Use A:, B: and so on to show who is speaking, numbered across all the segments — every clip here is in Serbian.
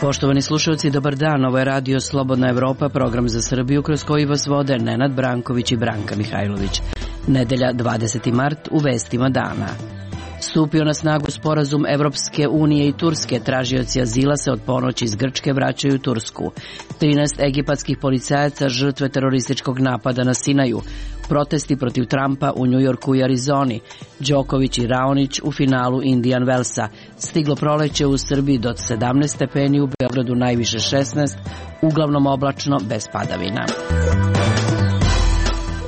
A: Poštovani slušalci, dobar dan. Ovo je Radio Slobodna Evropa, program za Srbiju kroz koji vas vode Nenad Branković i Branka Mihajlović. Nedelja 20. mart u vestima dana. Stupio na snagu sporazum Evropske unije i Turske. Tražioci azila se od ponoći iz Grčke vraćaju u Tursku. 13 egipatskih policajaca žrtve terorističkog napada na Sinaju. Protesti protiv Trumpa u Njujorku i Arizoni. Đoković i Raonić u finalu Indian Wellsa. Stiglo proleće u Srbiji do 17 stepeni, u Beogradu najviše 16, uglavnom oblačno bez padavina.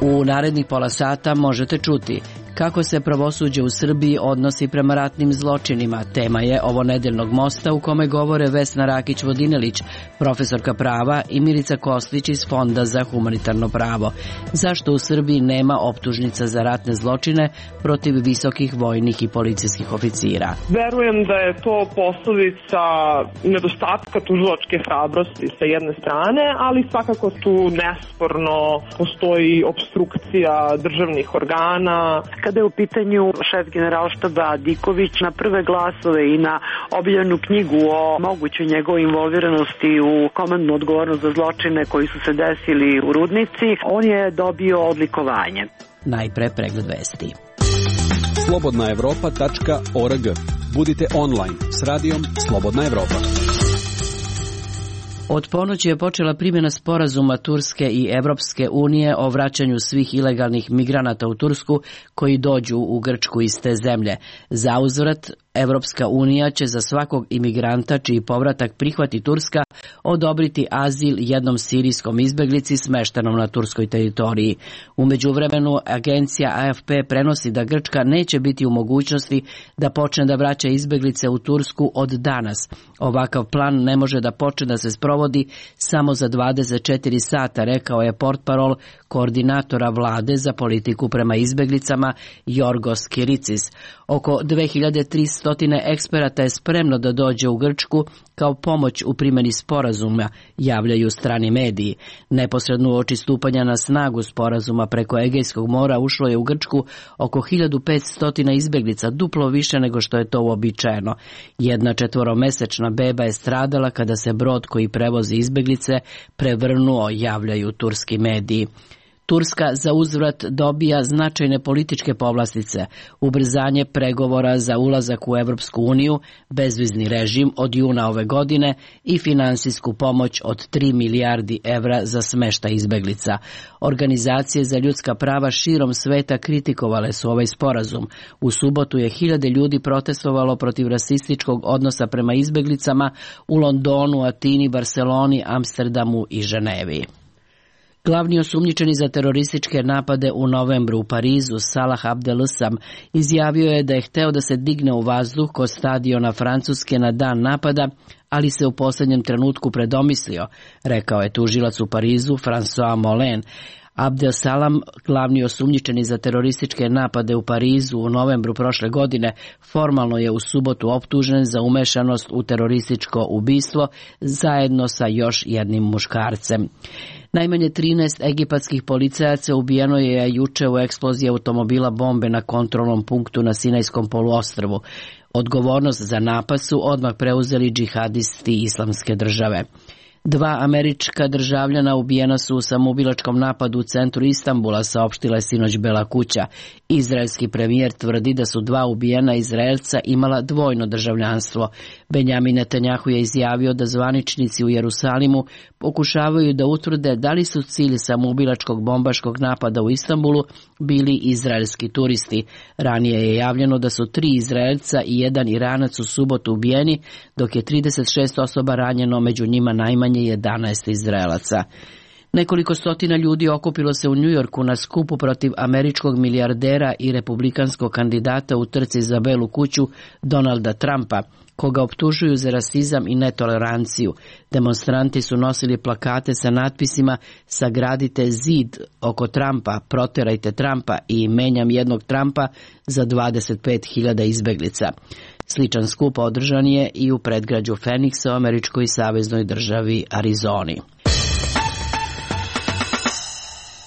A: U narednih pola sata možete čuti kako se pravosuđe u Srbiji odnosi prema ratnim zločinima. Tema je ovo nedeljnog mosta u kome govore Vesna Rakić-Vodinelić, profesorka prava, i Milica Koslić iz Fonda za humanitarno pravo. Zašto u Srbiji nema optužnica za ratne zločine protiv visokih vojnih i policijskih oficira?
B: Verujem da je to posledica nedostatka tužilačke hrabrosti sa jedne strane, ali svakako tu nesporno postoji opstrukcija državnih organa.
C: Kada je u pitanju šef generalštaba Diković, na prve glasove i na objavljenu knjigu o mogućoj njegovoj involviranosti u komandnu odgovornost za zločine koji su se desili u Rudnici, on je dobio odlikovanje.
A: Najpre pregled vesti.
D: slobodnaevropa.org. Budite online s radijom Slobodna Evropa.
A: Od ponoći je počela primjena sporazuma Turske i Evropske unije o vraćanju svih ilegalnih migranata u Tursku koji dođu u Grčku iz te zemlje. Zauzvrat, Evropska unija će za svakog imigranta čiji povratak prihvati Turska odobriti azil jednom sirijskom izbeglici smeštenom na turskoj teritoriji. U međuvremenu, agencija AFP prenosi da Grčka neće biti u mogućnosti da počne da vraća izbeglice u Tursku od danas. Ovakav plan ne može da počne da se sprovodi samo za 24 sata, rekao je portparol koordinatora vlade za politiku prema izbeglicama Jorgos Kiricis. Oko 2300 eksperata je spremno da dođe u Grčku kao pomoć u primjeni sporazuma, javljaju strani mediji. Neposredno uoči stupanja na snagu sporazuma preko Egejskog mora ušlo je u Grčku oko 1500 izbeglica, duplo više nego što je to uobičajeno. Jedna 4-mesečna beba je stradala kada se brod koji prevozi izbeglice prevrnuo, javljaju turski mediji. Turska za uzvrat dobija značajne političke povlastice, ubrzanje pregovora za ulazak u Evropsku uniju, bezvizni režim od juna ove godine i finansijsku pomoć od 3 milijardi evra za smeštaj izbeglica. Organizacije za ljudska prava širom sveta kritikovale su ovaj sporazum. U subotu je 1000 ljudi protestovalo protiv rasističkog odnosa prema izbeglicama u Londonu, Atini, Barseloni, Amsterdamu i Ženevi. Glavni osumnjičeni za terorističke napade u novembru u Parizu, Salah Abdel-Sam, izjavio je da je hteo da se digne u vazduh kod stadiona Francuske na dan napada, ali se u posljednjem trenutku predomislio, rekao je tužilac u Parizu François Molin. Abdel Salam, glavni osumnjičeni za terorističke napade u Parizu u novembru prošle godine, formalno je u subotu optužen za umešanost u terorističko ubistvo zajedno sa još jednim muškarcem. Najmanje 13 egipatskih policajaca ubijeno je juče u eksploziji automobila bombe na kontrolnom punktu na Sinajskom poluostrvu. Odgovornost za napad su odmah preuzeli džihadisti Islamske države. 2 američka državljana ubijena su u samoubilačkom napadu u centru Istanbula, saopštila je sinoć Bela kuća. Izraelski premijer tvrdi da su 2 ubijena Izraelca imala dvojno državljanstvo. Benjamin Netanjahu je izjavio da zvaničnici u Jerusalimu pokušavaju da utvrde da li su cilj samoubilačkog bombaškog napada u Istanbulu bili izraelski turisti. Ranije je javljeno da su 3 Izraelca i 1 Iranac u subotu ubijeni, dok je 36 osoba ranjeno, među njima najmanje 11 Izraelaca. Nekoliko stotina ljudi okupilo se u Njujorku na skupu protiv američkog milijardera i republikanskog kandidata u trci za Belu kuću Donalda Trumpa, koga optužuju za rasizam i netoleranciju. Demonstranti su nosili plakate sa natpisima "Sagradite zid oko Trumpa, proterajte Trumpa" i "Menjam jednog Trumpa za 25.000 izbeglica". Sličan skup održan je i u predgrađu Phoenixa u američkoj saveznoj državi Arizoni.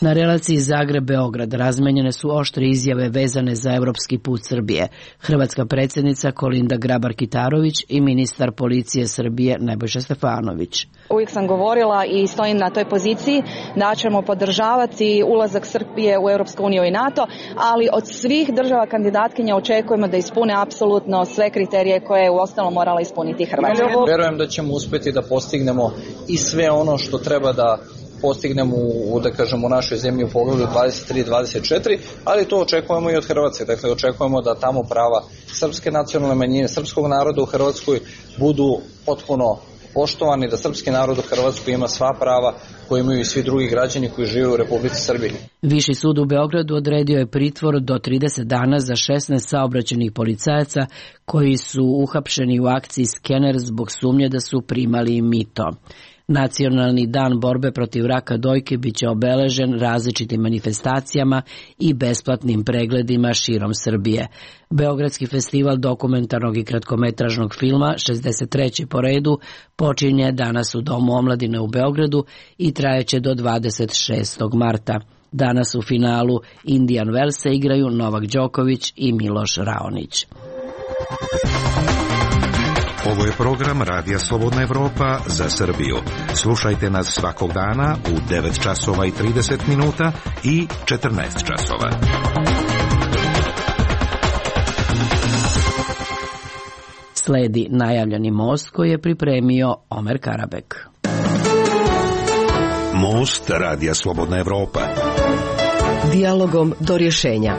A: Na relaciji Zagreb-Beograd razmenjene su oštre izjave vezane za evropski put Srbije. Hrvatska predsjednica Kolinda Grabar-Kitarović i ministar policije Srbije Nebojša Stefanović.
E: Uvijek sam govorila i stojim na toj poziciji da ćemo podržavati ulazak Srbije u Europsku uniju i NATO, ali od svih država kandidatkinja očekujemo da ispune apsolutno sve kriterije koje je uostalom morala ispuniti Hrvatska.
F: Verujem da ćemo uspjeti da postignemo i sve ono što treba da postignemo u našoj zemlji u pogledu 23-24, ali to očekujemo i od Hrvatske. Dakle, očekujemo da tamo prava srpske nacionalne manjine, srpskog naroda u Hrvatskoj budu potpuno poštovani, da srpski narod u Hrvatskoj ima sva prava koje imaju i svi drugi građani koji žive u Republici Srbiji.
A: Viši sud u Beogradu odredio je pritvor do 30 dana za 16 saobraćajnih policajaca koji su uhapšeni u akciji Skener zbog sumnje da su primali mito. Nacionalni dan borbe protiv raka dojke biće obeležen različitim manifestacijama i besplatnim pregledima širom Srbije. Beogradski festival dokumentarnog i kratkometražnog filma, 63. po redu, počinje danas u Domu omladine u Beogradu i trajeće do 26. marta. Danas u finalu Indian Wellsa igraju Novak Đoković i Miloš Raonić.
G: Ovo je program Radija Slobodna Evropa za Srbiju. Slušajte nas svakog dana u 9 časova i 30 minuta i 14 časova.
A: Sledi najavljeni most koji je pripremio Omer Karabek.
G: Most Radija Slobodna Evropa.
H: Dijalogom do rješenja.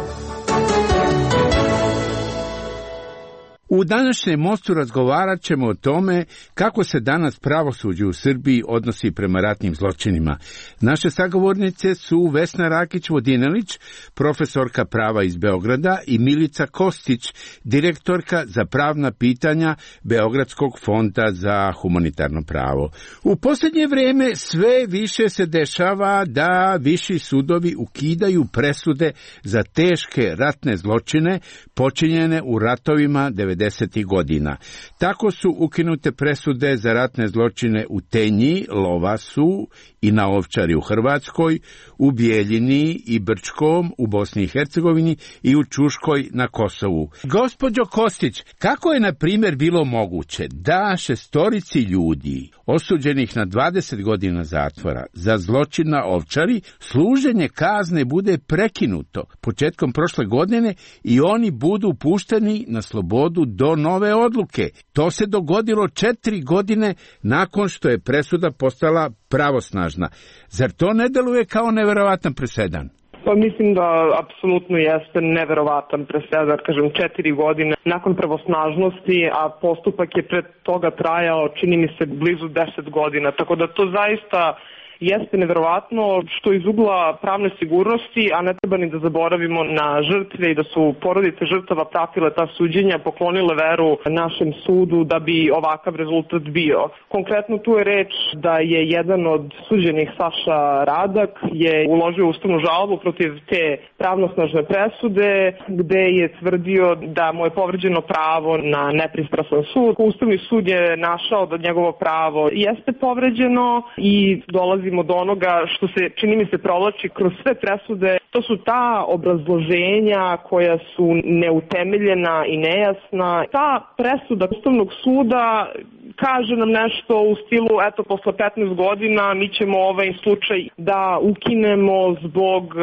I: U današnjem mostu razgovarat ćemo o tome kako se danas pravosuđe u Srbiji odnosi prema ratnim zločinima. Naše sagovornice su Vesna Rakić-Vodinelić, profesorka prava iz Beograda, i Milica Kostić, direktorka za pravna pitanja Beogradskog fonda za humanitarno pravo. U posljednje vrijeme sve više se dešava da viši sudovi ukidaju presude za teške ratne zločine počinjene u ratovima 90. godina. Tako su ukinute presude za ratne zločine u Tenji, Lovasu i na Ovčari u Hrvatskoj, u Bijeljini i Brčkom u Bosni i Hercegovini i u Čuškoj na Kosovu. Gospođo Kostić, kako je na primjer bilo moguće da 6 ljudi osuđenih na 20 godina zatvora za zločin na Ovčari služenje kazne bude prekinuto početkom prošle godine i oni budu pušteni na slobodu do nove odluke? To se dogodilo 4 godine nakon što je presuda postala pravosnažna. Zar to ne deluje kao neverovatan presedan?
B: Pa mislim da apsolutno jeste neverovatan presedan, kažem 4 godine nakon pravosnažnosti, a postupak je pred toga trajao, čini mi se, blizu 10 godina, tako da to zaista jeste neverovatno, što iz ugla pravne sigurnosti, a ne treba ni da zaboravimo na žrtve i da su porodice žrtava pratile ta suđenja, poklonile veru našem sudu da bi ovakav rezultat bio. Konkretno tu je reč da je jedan od suđenih, Saša Radak, je uložio ustavnu žalbu protiv te pravnosnažne presude, gde je tvrdio da mu je povređeno pravo na nepristrasan sud. Ustavni sud je našao da njegovo pravo jeste povređeno i dolazimo do onoga što se, čini mi se, provlači kroz sve presude. To su ta obrazloženja koja su neutemeljena i nejasna. Ta presuda Ustavnog suda kaže nam nešto u stilu, eto, posle 15 godina mi ćemo ovaj slučaj da ukinemo zbog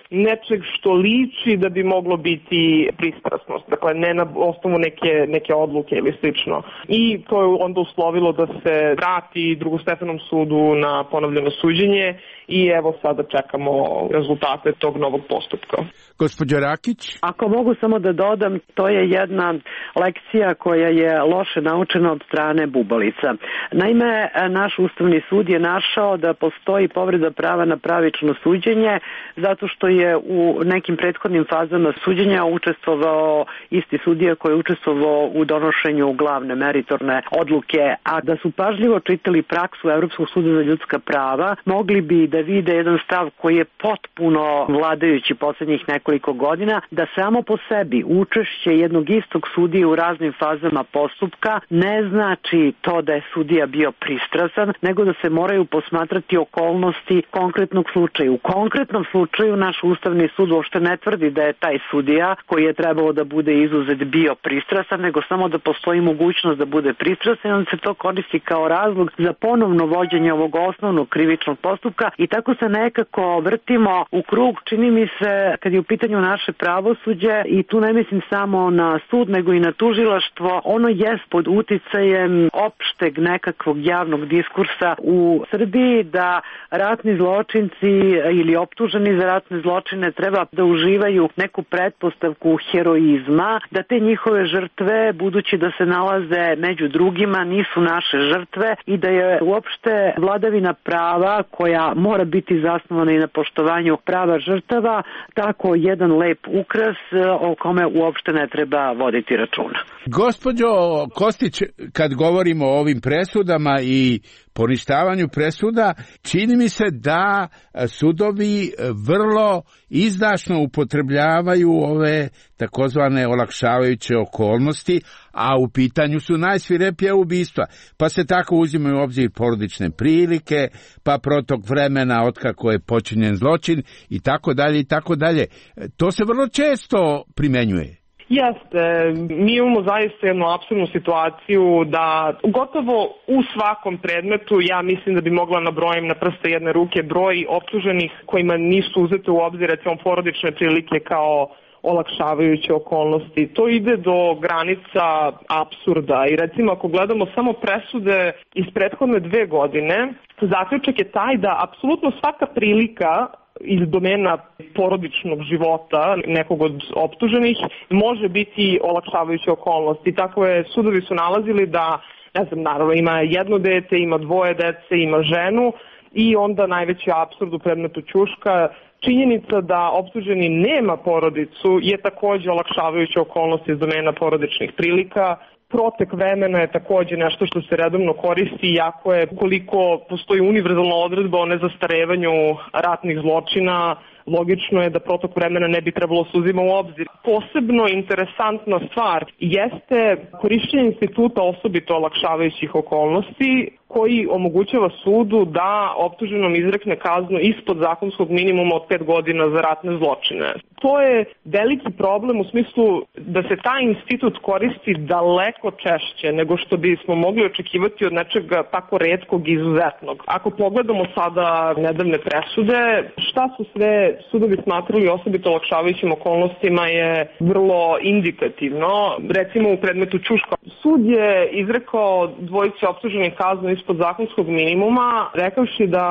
B: nečeg što liči da bi moglo biti pristrasnost. Dakle, ne na osnovu neke odluke ili slično. I to je onda uslovilo da se vrati drugostepenom sudu na ponovljeno suđenje i evo sada čekamo rezultate tog novog postupka.
I: Gospođo Rakić?
C: Ako mogu samo da dodam, to je jedna lekcija koja je loše naučena od strane bubalica. Naime, naš Ustavni sud je našao da postoji povreda prava na pravično suđenje zato što je u nekim prethodnim fazama suđenja učestvovao isti sudija koji je učestvovao u donošenju glavne meritorne odluke, a da su pažljivo čitali praksu Evropskog suda za ljudska prava, mogli bi da vide jedan stav koji je potpuno vladajući poslednjih nekoliko godina, da samo po sebi učešće jednog istog sudije u raznim fazama postupka ne znači znači to da je sudija bio pristrasan, nego da se moraju posmatrati okolnosti konkretnog slučaja. U konkretnom slučaju naš Ustavni sud uopšte ne tvrdi da je taj sudija koji je trebalo da bude izuzet bio pristrasan, nego samo da postoji mogućnost da bude pristrasan, on se to koristi kao razlog za ponovno vođenje ovog osnovnog krivičnog postupka i tako se nekako vrtimo u krug. Čini mi se, kad je u pitanju naše pravosuđe, i tu ne mislim samo na sud, nego i na tužilaštvo, ono jest pod uticajem opšteg nekakvog javnog diskursa u Srbiji da ratni zločinci ili optuženi za ratne zločine treba da uživaju neku pretpostavku heroizma, da te njihove žrtve, budući da se nalaze među drugima, nisu naše žrtve i da je uopšte vladavina prava, koja mora biti zasnovana i na poštovanju prava žrtava, tako jedan lep ukras o kome uopšte ne treba voditi računa.
I: Gospođo Kostić, kad govorimo o ovim presudama i poništavanju presuda, čini mi se da sudovi vrlo izdašno upotrebljavaju ove takozvane olakšavajuće okolnosti, a u pitanju su najsvirepija ubistva. Pa se tako uzimaju u obzir porodične prilike, pa protok vremena otkako je počinjen zločin i tako dalje i tako dalje. To se vrlo često primenjuje.
B: Jeste, mi imamo zaista jednu apsurdnu situaciju da gotovo u svakom predmetu, ja mislim da bi mogla nabrojim na prste jedne ruke broj optuženih kojima nisu uzete u obzir recimo porodične prilike kao olakšavajuće okolnosti. To ide do granica apsurda i recimo ako gledamo samo presude iz prethodne 2 godine, zaključak je taj da apsolutno svaka prilika iz domena porodičnog života nekog od optuženih može biti olakšavajuća okolnost. I tako je, sudovi su nalazili da, ne znam, naravno ima jedno dete, ima 2 dece, ima ženu i onda najveći apsurd u predmetu Ćuška, činjenica da optuženi nema porodicu je takođe olakšavajuća okolnost iz domena porodičnih prilika. Protek vremena je takođe nešto što se redovno koristi, iako je, koliko postoji univerzalna odredba o nezastarevanju ratnih zločina, logično je da protok vremena ne bi trebalo se uzima u obzir. Posebno interesantna stvar jeste korišćenje instituta osobito olakšavajućih okolnosti, koji omogućava sudu da optuženom izrekne kaznu ispod zakonskog minimuma od 5 godina za ratne zločine. To je veliki problem u smislu da se taj institut koristi daleko češće nego što bismo mogli očekivati od nečega tako retkog i izuzetnog. Ako pogledamo sada nedavne presude, šta su sve sudovi smatrali osobito olakšavajućim okolnostima je vrlo indikativno. Recimo u predmetu Ćuška, sud je izrekao dvojici optuženih kaznu ispod zakonskog minimuma, rekavši da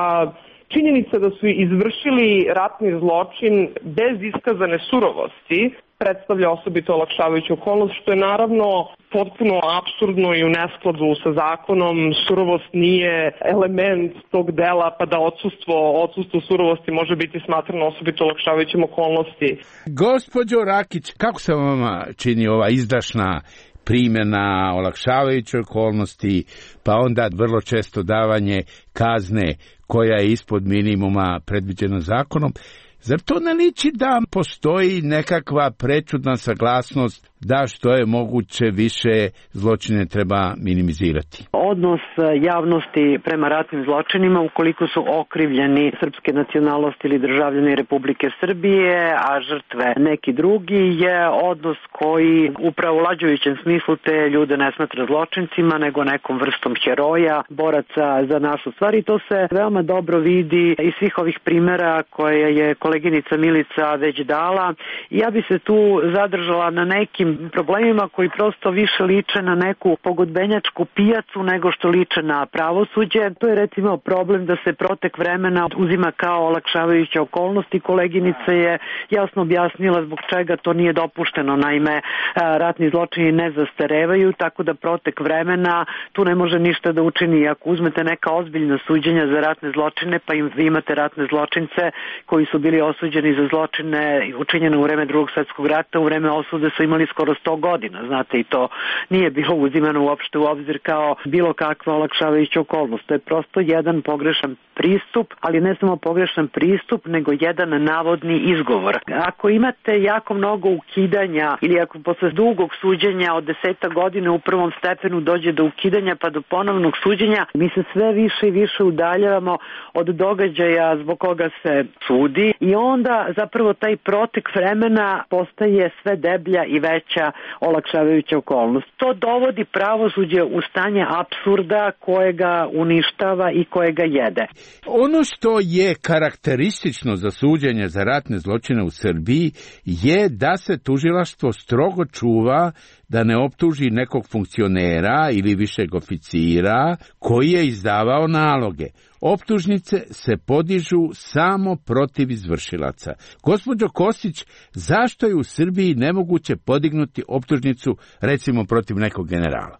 B: činjenica da su izvršili ratni zločin bez iskazane surovosti predstavlja osobito olakšavajuću okolnost, što je naravno potpuno apsurdno i u neskladu sa zakonom. Surovost nije element tog dela, pa da odsustvo surovosti može biti smatrano osobito olakšavajućim okolnosti.
I: Gospođo Rakić, kako se vama čini ova izdašna primjena olakšavajuće okolnosti, pa onda vrlo često davanje kazne koja je ispod minimuma predviđena zakonom? Zar to ne liči da postoji nekakva prečudna saglasnost da što je moguće više zločine treba minimizirati?
C: Odnos javnosti prema ratnim zločinima, ukoliko su okrivljeni srpske nacionalnosti ili državljani Republike Srbije, a žrtve neki drugi, je odnos koji u pravolađujućem smislu te ljude ne smatra zločincima, nego nekom vrstom heroja, boraca za našu stvar. I to se veoma dobro vidi iz svih ovih primera koje je koleginica Milica već dala. Ja bi se tu zadržala na nekim problemima koji prosto više liče na neku pogodbenjačku pijacu nego što liče na pravosuđe. To je recimo problem da se protek vremena uzima kao olakšavajuća okolnost i koleginica je jasno objasnila zbog čega to nije dopušteno. Naime, ratni zločini ne zastarevaju, tako da protek vremena tu ne može ništa da učini. Ako uzmete neka ozbiljna suđenja za ratne zločine, pa vi imate ratne zločince koji su bili bili osuđeni za zločine učinjene u vreme Drugog svjetskog rata, u vreme osude su imali skoro 100 godina, znate, i to nije bilo uzimano uopšte u obzir kao bilo kakva olakšavajuća okolnost. To je prosto jedan pogrešan pristup, ali ne samo pogrešan pristup, nego jedan navodni izgovor. Ako imate jako mnogo ukidanja ili ako posle dugog suđenja od 10 godina u prvom stepenu dođe do ukidanja pa do ponovnog suđenja, mi se sve više i više udaljavamo od događaja zbog koga se sudi i onda zapravo taj protek vremena postaje sve deblja i veća olakšavajuća okolnost. To dovodi pravosuđe u stanje apsurda kojega uništava i kojega jede.
I: Ono što je karakteristično za suđenje za ratne zločine u Srbiji je da se tužilaštvo strogo čuva da ne optuži nekog funkcionera ili višeg oficira koji je izdavao naloge. Optužnice se podižu samo protiv izvršilaca. Gospođo Kostić, zašto je u Srbiji nemoguće podignuti optužnicu recimo protiv nekog generala?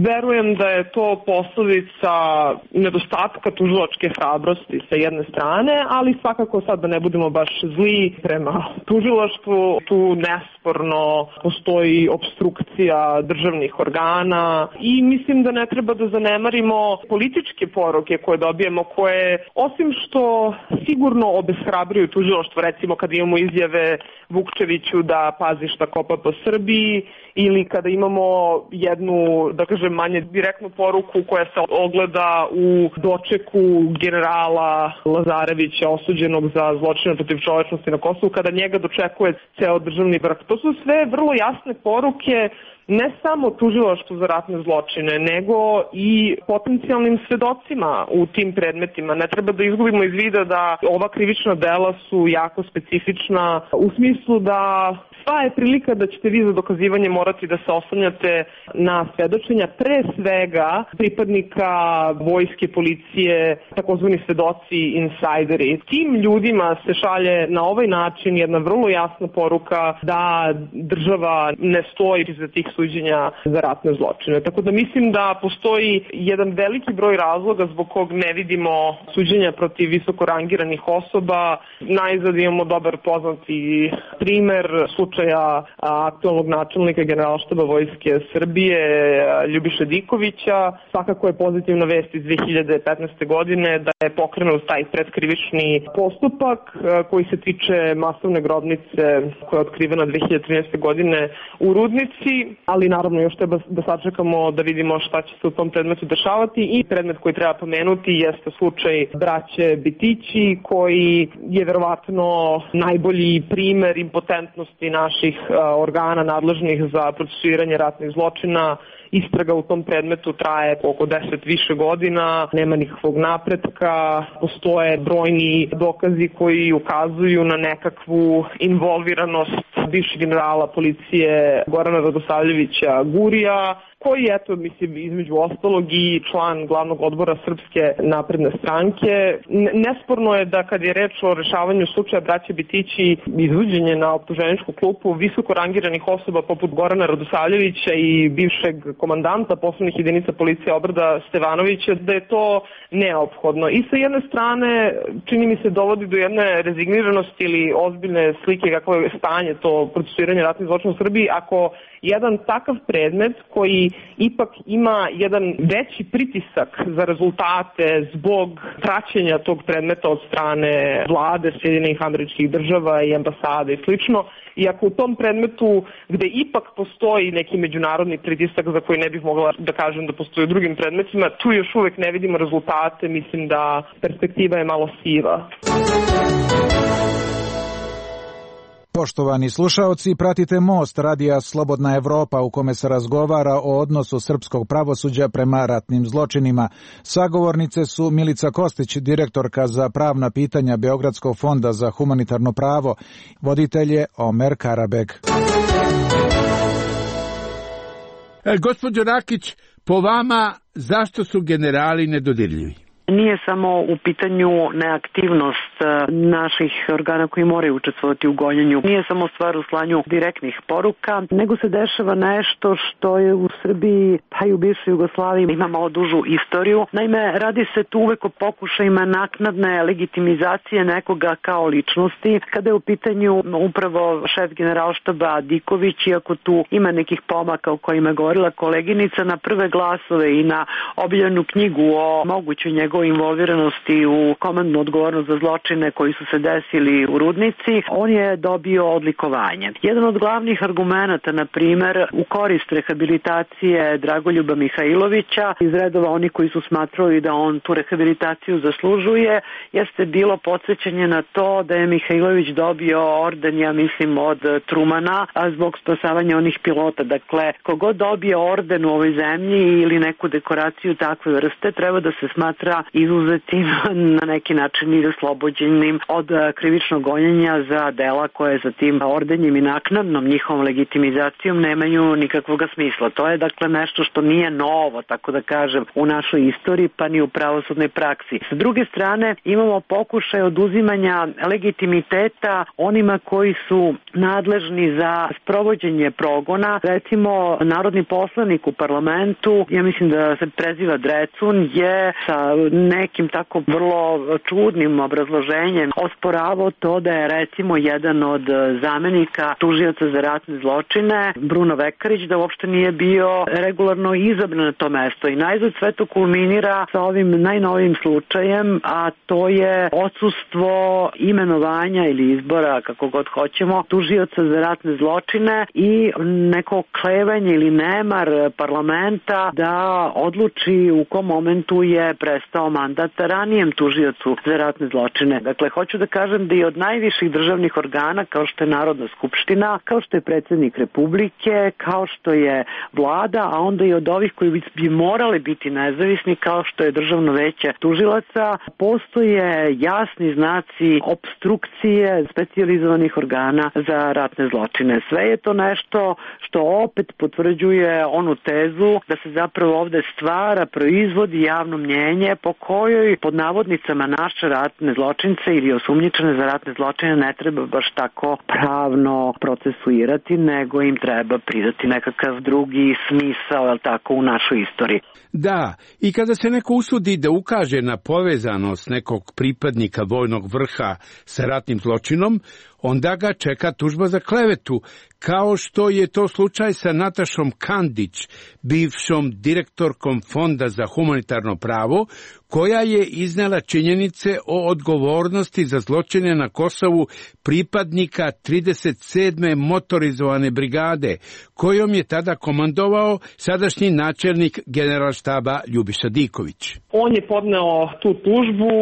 B: Verujem da je to posledica nedostatka tužilačke hrabrosti sa jedne strane, ali svakako sad da ne budemo baš zli prema tužilaštvu, tu nesporno postoji opstrukcija državnih organa i mislim da ne treba da zanemarimo političke poruke koje dobijemo, koje osim što sigurno obeshrabruju tužilaštvo, recimo kada imamo izjave Vukčeviću da pazi šta kopa po Srbiji, ili kada imamo jednu, da kažem, manje direktnu poruku koja se ogleda u dočeku generala Lazarevića osuđenog za zločine protiv čovečnosti na Kosovu, kada njega dočekuje ceo državni vrh. To su sve vrlo jasne poruke ne samo tužilaštvu za ratne zločine, nego i potencijalnim svedocima u tim predmetima. Ne treba da izgubimo iz vida da ova krivična dela su jako specifična u smislu da sva je prilika da ćete vi za dokazivanje morati da se oslanjate na svedočenja pre svega pripadnika vojske, policije, takozvani svedoci, insajderi. Tim ljudima se šalje na ovaj način jedna vrlo jasna poruka da država ne stoji iza tih suđenja za ratne zločine. Tako da mislim da postoji jedan veliki broj razloga zbog kog ne vidimo suđenja protiv visoko rangiranih osoba. Najzad imamo dobar poznati primer slučaja aktualnog načelnika Generalštaba Vojske Srbije Ljubiše Dikovića. Svakako je pozitivna vest iz 2015. godine da je pokrenut taj predkrivični postupak koji se tiče masovne grobnice koja je otkrivena 2013. godine u Rudnici, ali naravno još treba da sačekamo da vidimo šta će se u tom predmetu dešavati i predmet koji treba pomenuti jeste slučaj braće Bitići koji je verovatno najbolji primer impotentnosti naših organa nadležnih za procesuiranje ratnih zločina. Istraga u tom predmetu traje oko 10 više godina, nema nikakvog napretka, postoje brojni dokazi koji ukazuju na nekakvu involviranost bivšeg generala policije Gorana Radosavljevića Gurija, koji je, eto, mislim, između ostalog i član glavnog odbora Srpske napredne stranke. Nesporno je da kad je reč o rešavanju slučaja braće Bitići, izvođenje na optuženičku klupu visoko rangiranih osoba poput Gorana Radosavljevića i bivšeg komandanta posebnih jedinica policije Obrada Stevanovića, da je to neophodno. I sa jedne strane, čini mi se, dovodi do jedne rezigniranosti ili ozbiljne slike kakvo je stanje to procesuiranje ratnih zločina u Srbiji, ako jedan takav predmet koji ipak ima jedan veći pritisak za rezultate zbog praćenja tog predmeta od strane vlade Sjedinjenih Američkih Država i ambasade i slično, i ako u tom predmetu gde ipak postoji neki međunarodni pritisak za koji ne bih mogla da kažem da postoji u drugim predmetima, tu još uvek ne vidimo rezultate, mislim da perspektiva je malo siva.
J: Poštovani slušaoci, pratite Most radija Slobodna Evropa u kome se razgovara o odnosu srpskog pravosuđa prema ratnim zločinima. Sagovornice su Milica Kostić, direktorka za pravna pitanja Beogradskog fonda za humanitarno pravo, voditelj je Omer Karabeg.
I: Gospođo Rakić, po vama zašto su generali nedodirljivi?
C: Nije samo u pitanju neaktivnost naših organa koji moraju učestvovati u gonjenju. Nije samo stvar u slanju direktnih poruka, nego se dešava nešto što je u Srbiji, pa i u bivšoj Jugoslaviji ima malo dužu istoriju. Naime, radi se tu uvek o pokušajima naknadne legitimizacije nekoga kao ličnosti. Kada je u pitanju upravo šef generalštaba Diković, iako tu ima nekih pomaka o kojima je govorila koleginica, na prve glasove i na objavljenu knjigu o mogućoj njegovoj involviranosti u komandnu odgovornost za zločine koji su se desili u Rudnici, on je dobio odlikovanje. Jedan od glavnih argumenata, na primer, u korist rehabilitacije Dragoljuba Mihajlovića, iz redova oni koji su smatrali da on tu rehabilitaciju zaslužuje, jeste bilo podsjećanje na to da je Mihajlović dobio orden, ja mislim, od Trumana, a zbog spasavanja onih pilota. Dakle, kogod dobije orden u ovoj zemlji ili neku dekoraciju takve vrste, treba da se smatra izuzetim na neki način i oslobođenim od krivičnog gonjenja za dela koje za tim ordenjem i naknadnom njihovom legitimizacijom nemaju nikakvog smisla. To je dakle nešto što nije novo, tako da kažem, u našoj istoriji, pa ni u pravosudnoj praksi. S druge strane, imamo pokušaj oduzimanja legitimiteta onima koji su nadležni za sprovođenje progona. Recimo, narodni poslanik u parlamentu, ja mislim da se preziva Drecun, je sa nekim tako vrlo čudnim obrazloženjem osporavao to da je recimo jedan od zamenika tužioca za ratne zločine, Bruno Vekarić, da uopšte nije bio regularno izabran na to mesto. I najzad sve to kulminira sa ovim najnovijim slučajem, a to je odsustvo imenovanja ili izbora, kako god hoćemo, tužioca za ratne zločine i neko klevanje ili nemar parlamenta da odluči u kom momentu je prestao mandat ranijem tužiocu za ratne zločine. Dakle, hoću da kažem da i od najviših državnih organa, kao što je Narodna skupština, kao što je predsjednik Republike, kao što je vlada, a onda i od ovih koji bi morali biti nezavisni, kao što je Državno veće tužilaca, postoje jasni znaci opstrukcije specijalizovanih organa za ratne zločine. Sve je to nešto što opet potvrđuje onu tezu da se zapravo ovde stvara, proizvodi javno mnjenje po kojoj pod navodnicama naše ratne zločince ili osumnjičene za ratne zločine ne treba baš tako pravno procesuirati, nego im treba pridati nekakav drugi smisao, jel tako, u našoj istoriji.
I: Da, i kada se neko usudi da ukaže na povezanost nekog pripadnika vojnog vrha sa ratnim zločinom, onda ga čeka tužba za klevetu, kao što je to slučaj sa Natašom Kandić, bivšom direktorkom Fonda za humanitarno pravo, koja je iznela činjenice o odgovornosti za zločine na Kosovu pripadnika 37. motorizovane brigade, kojom je tada komandovao sadašnji načelnik generalštaba Ljubiša Diković.
B: On je podneo tu tužbu,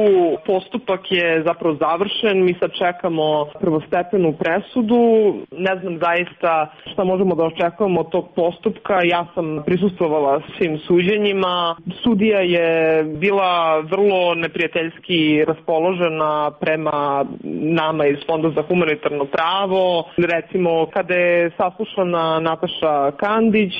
B: postupak je zapravo završen, mi sad čekamo prvostepenu presudu, ne znam zaista šta možemo da očekujemo od tog postupka, ja sam prisustvovala svim suđenjima, sudija je bila vrlo neprijateljski raspoložena prema nama iz Fonda za humanitarno pravo. Recimo, kada je saslušana Nataša Kandić,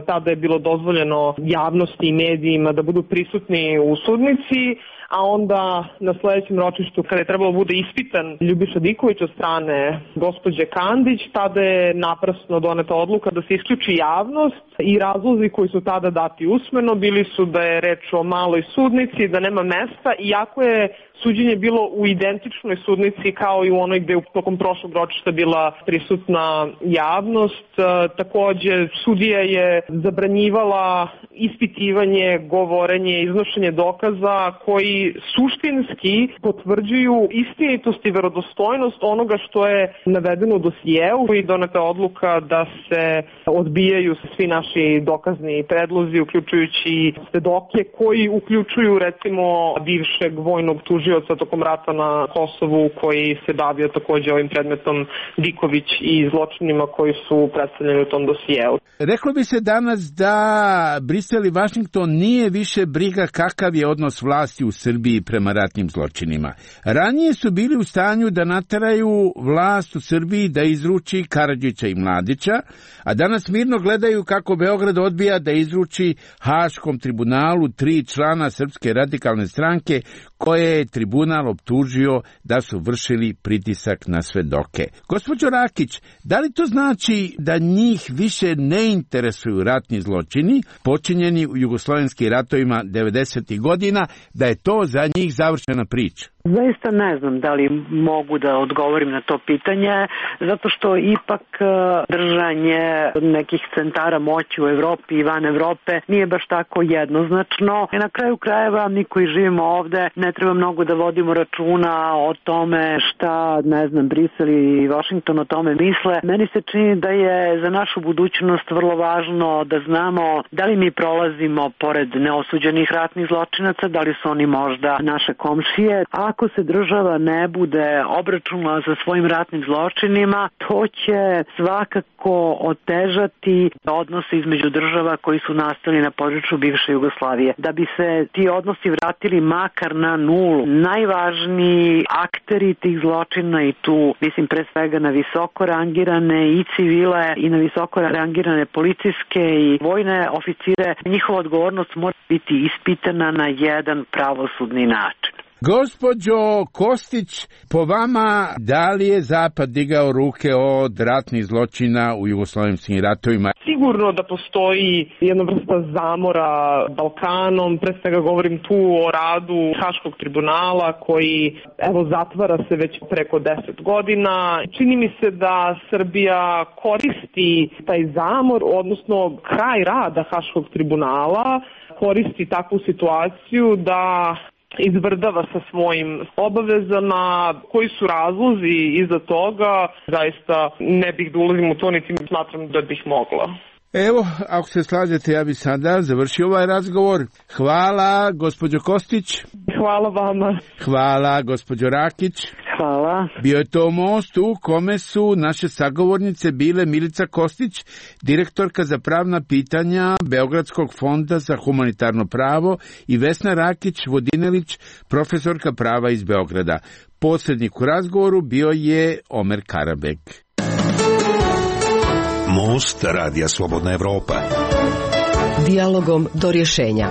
B: tada je bilo dozvoljeno javnosti i medijima da budu prisutni u sudnici, a onda na sledećem ročištu, kada je trebalo bude ispitan Ljubiša Diković od strane gospođe Kandić, tada je naprasno doneta odluka da se isključi javnost i razlozi koji su tada dati usmeno bili su da je reč o maloj sudnici, da nema mesta, iako je suđenje bilo u identičnoj sudnici kao i u onoj gde je tokom prošlog ročišta bila prisutna javnost. Takođe, sudija je zabranjivala ispitivanje, govorenje, iznošenje dokaza koji suštinski potvrđuju istinitost i verodostojnost onoga što je navedeno u dosijeu i doneta odluka da se odbijaju svi naši dokazni predlozi, uključujući svedoke koji uključuju recimo bivšeg vojnog tužioca tokom rata na Kosovu koji se bavio takođe ovim predmetom Diković i zločinima koji su predstavljeni u tom dosijeu.
I: Reklo bi se danas da Brisel i Vašington nije više briga kakav je odnos vlasti u Srbiji Srbiji prema ratnim zločinima. Ranije su bili u stanju da nateraju vlast u Srbiji da izruči Karadžića i Mladića, a danas mirno gledaju kako Beograd odbija da izruči Haškom tribunalu 3 člana Srpske radikalne stranke koje je tribunal optužio da su vršili pritisak na svedoke. Gospođo Rakić, da li to znači da njih više ne interesuju ratni zločini počinjeni u jugoslovenskim ratovima 90. godina, da je to za njih završena priča?
C: Zaista ne znam da li mogu da odgovorim na to pitanje, zato što ipak držanje nekih centara moći u Evropi i van Evrope nije baš tako jednoznačno. I na kraju krajeva mi koji živimo ovde ne treba mnogo da vodimo računa o tome šta, ne znam, Brisel i Washington o tome misle. Meni se čini da je za našu budućnost vrlo važno da znamo da li mi prolazimo pored neosuđenih ratnih zločinaca, da li su oni možda naše komšije. Ako se država ne bude obračunala sa svojim ratnim zločinima, to će svakako otežati odnose između država koji su nastali na području bivše Jugoslavije. Da bi se ti odnosi vratili makar na nulu, najvažniji akteri tih zločina, i tu mislim pre svega na visoko rangirane i civile i na visoko rangirane policijske i vojne oficire, njihova odgovornost mora biti ispitana na jedan pravosudni način.
I: Gospođo Kostić, po vama, da li je Zapad digao ruke od ratnih zločina u jugoslovenskim ratovima?
B: Sigurno da postoji jedna vrsta zamora Balkanom, pre svega govorim tu o radu Haškog tribunala koji, evo, zatvara se već preko 10 godina. Čini mi se da Srbija koristi taj zamor, odnosno kraj rada Haškog tribunala, koristi takvu situaciju da izvrdava sa svojim obavezama. Koji su razlozi iza toga, zaista ne bih da ulazim u to, niti smatram da bih mogla.
I: Evo, ako se slažete, ja bih sada završio ovaj razgovor. Hvala, gospođo Kostić.
B: Hvala vama.
I: Hvala, gospođo Rakić.
C: Hvala.
I: Bio je to most u kome su naše sagovornice bile Milica Kostić, direktorka za pravna pitanja Beogradskog fonda za humanitarno pravo, i Vesna Rakić-Vodinelić, profesorka prava iz Beograda. Posrednik u razgovoru bio je Omer Karabek.
G: Most Radija Slobodna Evropa.
H: Dijalogom do rješenja.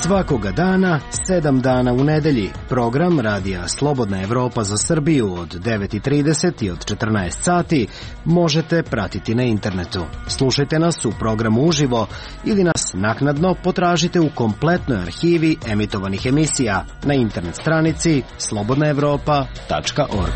K: Svakoga dana, 7 dana u nedelji, program Radija Slobodna Evropa za Srbiju od 9:30 i od 14 sati možete pratiti na internetu. Slušajte nas u programu uživo ili nas naknadno potražite u kompletnoj arhivi emitovanih emisija na internet stranici slobodnaevropa.org.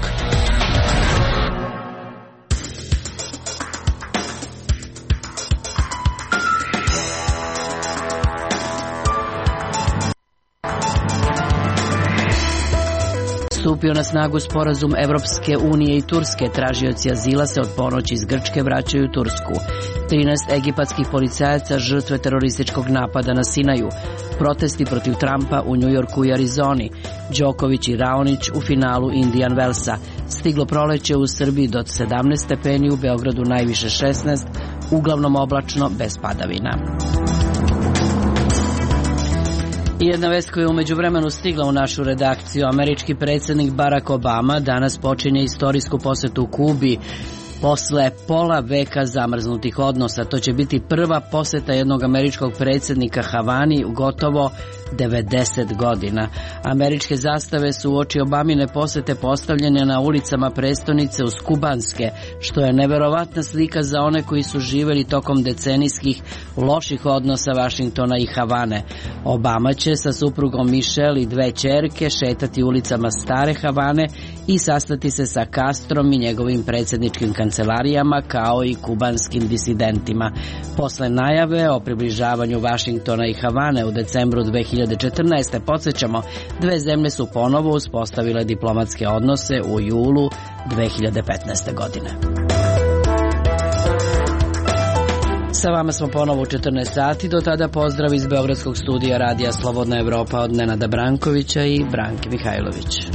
A: Stupio na snagu sporazum Evropske unije i Turske, tražioci azila se od ponoći iz Grčke vraćaju u Tursku. 13 egipatskih policajaca žrtve terorističkog napada na Sinaju. Protesti protiv Trumpa u Njujorku i Arizoni. Đoković i Raonić u finalu Indian Wellsa. Stiglo proleće u Srbiji do 17 stepeni, u Beogradu najviše 16, uglavnom oblačno bez padavina. I jedna vest koja je umeđu vremenu stigla u našu redakciju. Američki predsjednik Barack Obama danas počinje istorijsku posetu Kubi. Posle pola veka zamrznutih odnosa, to će biti prva poseta jednog američkog predsjednika Havani u gotovo 90 godina. Američke zastave su uoči Obamine posete postavljene na ulicama prestonice uz kubanske, što je neverovatna slika za one koji su živjeli tokom decenijskih loših odnosa Vašingtona i Havane. Obama će sa suprugom Michelle i 2 ćerke šetati ulicama stare Havane i sastati se sa Castrom i njegovim predsjedničkim kancelarijama, kao i kubanskim disidentima. Posle najave o približavanju Vašingtona i Havane u decembru 2014. podsjećamo, 2 zemlje su ponovo uspostavile diplomatske odnose u julu 2015. godine. Sa vama smo ponovo u 14 sati, do tada pozdrav iz Beogradskog studija Radija Slobodna Evropa od Nenada Brankovića i Branke Mihajlović.